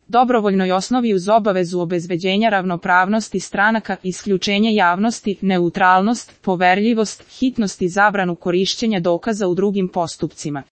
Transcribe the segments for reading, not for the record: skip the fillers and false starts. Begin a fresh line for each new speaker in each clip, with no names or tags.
dobrovoljnoj osnovi uz obavezu obezbeđenja ravnopravnosti stranaka, isključenje javnosti, neutralnost, poverljivost, hitnost i zabranu korišćenja dokaza u drugim postupcima.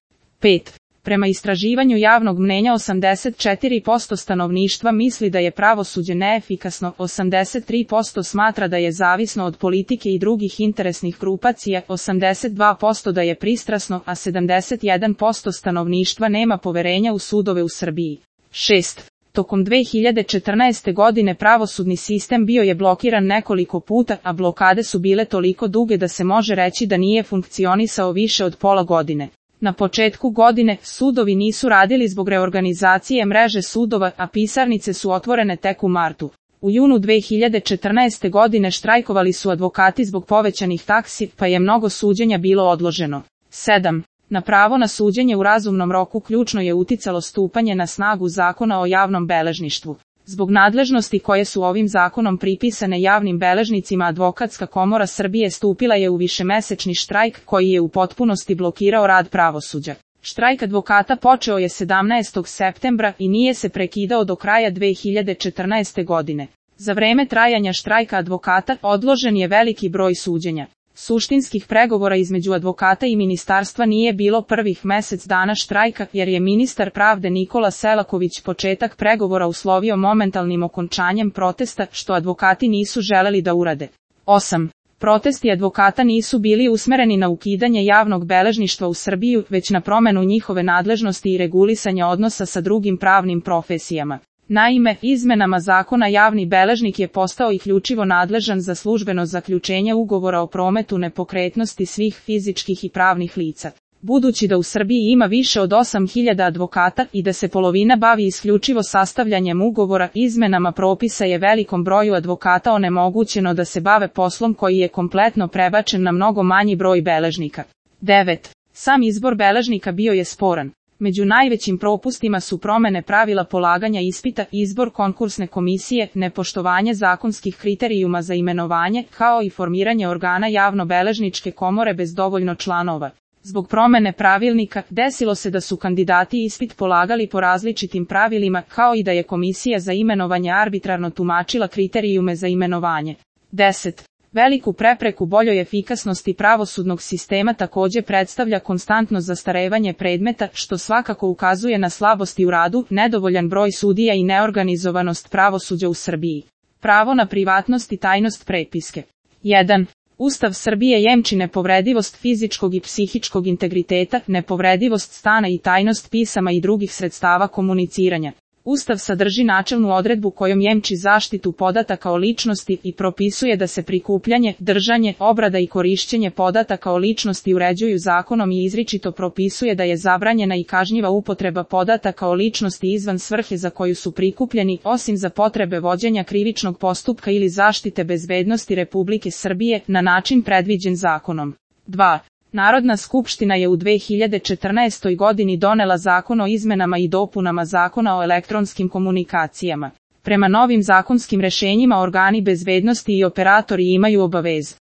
5. Prema istraživanju javnog mnenja 84% stanovništva misli da je pravosuđe neefikasno, 83% smatra da je zavisno od politike i drugih interesnih grupacija, 82% da je pristrasno, a 71% stanovništva nema poverenja u sudove u Srbiji. 6. Tokom 2014. godine pravosudni sistem bio je blokiran nekoliko puta, a blokade su bile toliko duge da se može reći da nije funkcionisao više od pola godine. Na početku godine, sudovi nisu radili zbog reorganizacije mreže sudova, a pisarnice su otvorene tek u martu. U junu 2014. godine štrajkovali su advokati zbog povećanih taksi, pa je mnogo suđenja bilo odloženo. 7. Na pravo na suđenje u razumnom roku ključno je uticalo stupanje na snagu Zakona o javnom beležništvu. Zbog nadležnosti koje su ovim zakonom pripisane javnim beležnicima, Advokatska komora Srbije stupila je u višemesečni štrajk koji je u potpunosti blokirao rad pravosuđa. Štrajk advokata počeo je 17. septembra i nije se prekidao do kraja 2014. godine. Za vreme trajanja štrajka advokata odložen je veliki broj suđenja. Suštinskih pregovora između advokata i ministarstva nije bilo prvih mesec dana štrajka, jer je ministar pravde Nikola Selaković početak pregovora uslovio momentalnim okončanjem protesta, što advokati nisu želeli da urade. 8. Protesti advokata nisu bili usmereni na ukidanje javnog beležništva u Srbiju, već na promenu njihove nadležnosti i regulisanja odnosa sa drugim pravnim profesijama. Naime, izmenama zakona javni beležnik je postao isključivo nadležan za službeno zaključenje ugovora o prometu nepokretnosti svih fizičkih i pravnih lica. Budući da u Srbiji ima više od 8.000 advokata i da se polovina bavi isključivo sastavljanjem ugovora, izmenama propisa je velikom broju advokata onemogućeno da se bave poslom koji je kompletno prebačen na mnogo manji broj beležnika. 9. Sam izbor beležnika bio je sporan. Među najvećim propustima su promene pravila polaganja ispita, izbor konkursne komisije, nepoštovanje zakonskih kriterijuma za imenovanje, kao i formiranje organa javnobeležničke komore bez dovoljno članova. Zbog promene pravilnika, desilo se da su kandidati ispit polagali po različitim pravilima, kao i da je komisija za imenovanje arbitrarno tumačila kriterijume za imenovanje. 10. Veliku prepreku boljoj efikasnosti pravosudnog sistema takođe predstavlja konstantno zastarevanje predmeta, što svakako ukazuje na slabosti u radu, nedovoljan broj sudija i neorganizovanost pravosuđa u Srbiji. Pravo na privatnost i tajnost prepiske. 1. Ustav Srbije jemči nepovredivost fizičkog i psihičkog integriteta, nepovredivost stana i tajnost pisama i drugih sredstava komuniciranja. Ustav sadrži načelnu odredbu kojom jemči zaštitu podataka o ličnosti i propisuje da se prikupljanje, držanje, obrada i korišćenje podataka o ličnosti uređuju zakonom i izričito propisuje da je zabranjena i kažnjiva upotreba podataka o ličnosti izvan svrhe za koju su prikupljeni, osim za potrebe vođenja krivičnog postupka ili zaštite bezbednosti Republike Srbije, na način predviđen zakonom. 2. Narodna skupština je u 2014. godini donela Zakon o izmenama i dopunama Zakona o elektronskim komunikacijama. Prema novim zakonskim rešenjima organi bezbednosti i operatori imaju obavezu